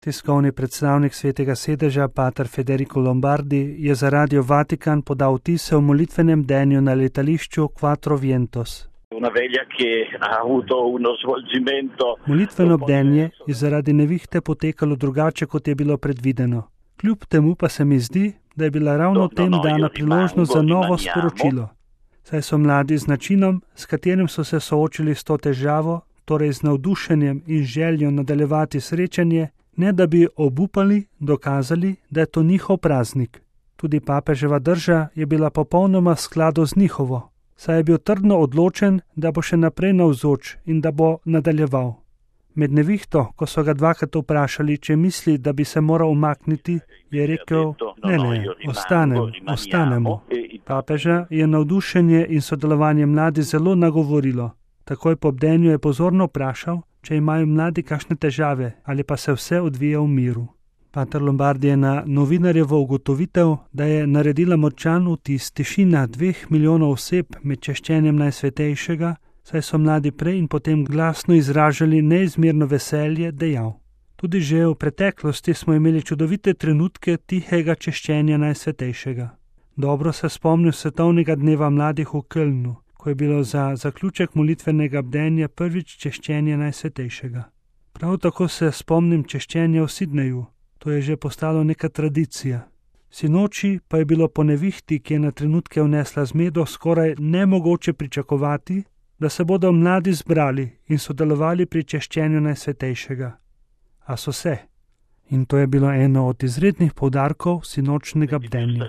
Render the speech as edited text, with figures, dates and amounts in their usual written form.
Tiskovni predstavnik Svetega sedeža, pater Federico Lombardi, je za Radio Vatikan podal vtise o molitvenem bdenju na letališču Quattro Vientos. Molitveno bdenje je zaradi nevihte potekalo drugače, kot je bilo predvideno. Kljub temu pa se mi zdi, da je bila ravno tem dana priložnost za novo sporočilo. Saj so mladi z načinom, s katerim so se soočili s to težavo, torej z navdušenjem in željo nadaljevati srečanje, ne da bi obupali, dokazali, da je to njihov praznik. Tudi papeževa drža je bila popolnoma v skladu z njihovo, saj je bil trdno odločen, da bo še naprej navzoč in da bo nadaljeval. Med nevihto, ko so ga dvakrat vprašali, če misli, da bi se moral umakniti, je rekel, ne, ostanemo. Papeža je navdušenje in sodelovanje mladi zelo nagovorilo. Takoj po bdenju je pozorno vprašal, če imajo mladi kakšne težave ali pa se vse odvija v miru. Pater Lombardi je na novinarjevo ugotovitev, da je naredila močan vtis tišina 2 milijonov oseb med češčenjem Najsvetejšega, saj so mladi prej in potem glasno izražali neizmerno veselje, dejal. Tudi že v preteklosti smo imeli čudovite trenutke tihega češčenja Najsvetejšega. Dobro se spomnim svetovnega dneva mladih v Kölnu, ko je bilo za zaključek molitvenega bdenja prvič češčenje Najsvetejšega. Prav tako se spomnim češčenja v Sidneju, to je že postalo neka tradicija. Sinoči pa je bilo po nevihti, ki je na trenutke vnesla zmedo, skoraj nemogoče pričakovati, da se bodo mladi zbrali in sodelovali pri češčenju Najsvetejšega. A so se. In to je bilo eno od izrednih poudarkov sinočnega bdenja.